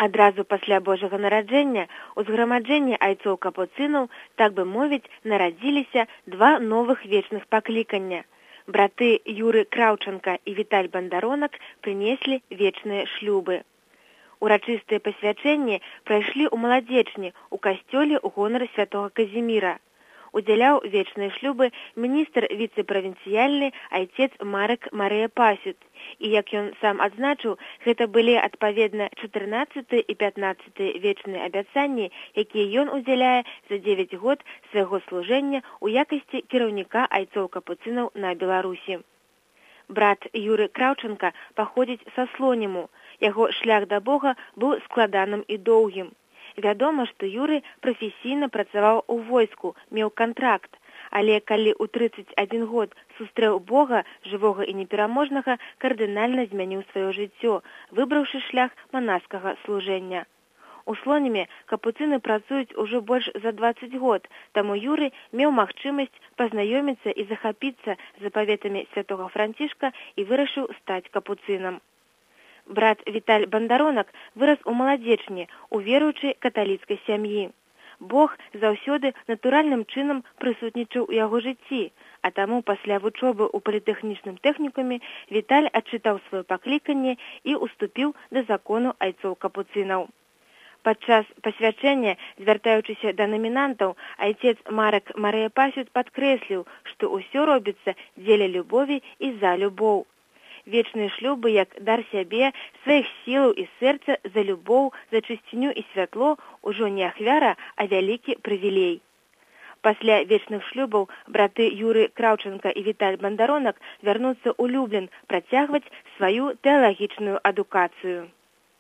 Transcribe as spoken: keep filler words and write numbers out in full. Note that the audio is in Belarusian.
Адразу пасля Божага нараджэння ў зграмаджэнні айцоў капуцынаў, так бы мовіць, нарадзіліся два новых вечных паклікання. Браты Юры Краўчанка і Віталь Бандаронак прынеслі вечныя шлюбы. Урачыстыя пасвячэнні прайшлі ў маладзечні ў касцёле ў гонар святога Казіміра. Удзяляў вечныя шлюбы міністр віцэ-правінцыяльны айцец Марек Марыя Пасют. І, як ён сам адзначыў, гэта былі адпаведна чатырнаццаты і пятнаццаты вечныя абяцанні, якія ён удзяляе за дзевяць год свайго служэння ў якасці кіраўніка айцоў капуцынаў на Беларусі. Брат Юры Краўчанка паходзіць са Слоніму. Яго шлях да Бога быў складаным і доўгім. Вядома, што Юры прафесійна працаваў у войску, меў кантракт, але калі ў трыццаць адзін год сустрэў Бога, жывога і непераможнага, кардынальна змяніў сваё жыццё, выбраўшы шлях манаскага служэння. У Слоніме капуцыны працуюць ужо больш за дваццаць год, таму Юры меў магчымасць пазнаёміцца і захапіцца запаветамі святога Францішка і вырашыў стаць капуцынам. Брат Віталь Бандаронак вырас у маладзечні, у веруючай каталіцкай сям'і. Бог заўсёды натуральным чынам прысутнічаў у яго жыцці, а таму пасля вучобы ў політэхнічным тэхнікуме Віталь адчытаў сваё пакліканне і ўступіў да закону айцоў капуцынаў. Падчас пасвячэння, звяртаючыся да намінантаў, айцец Марек Марыя Пасют падкрэсліў, што ўсё робіцца дзеля любові і за любоў. Вечныя шлюбы, як дар сябе, сваіх сілаў і сэрца за любоў, за чысціню і святло ўжо не ахвяра, а вялікі прывілей. Пасля вечных шлюбаў браты Юры Краўчанка і Віталь Бандаронак вярнуцца ў Люблін працягваць сваю тэалагічную адукацыю.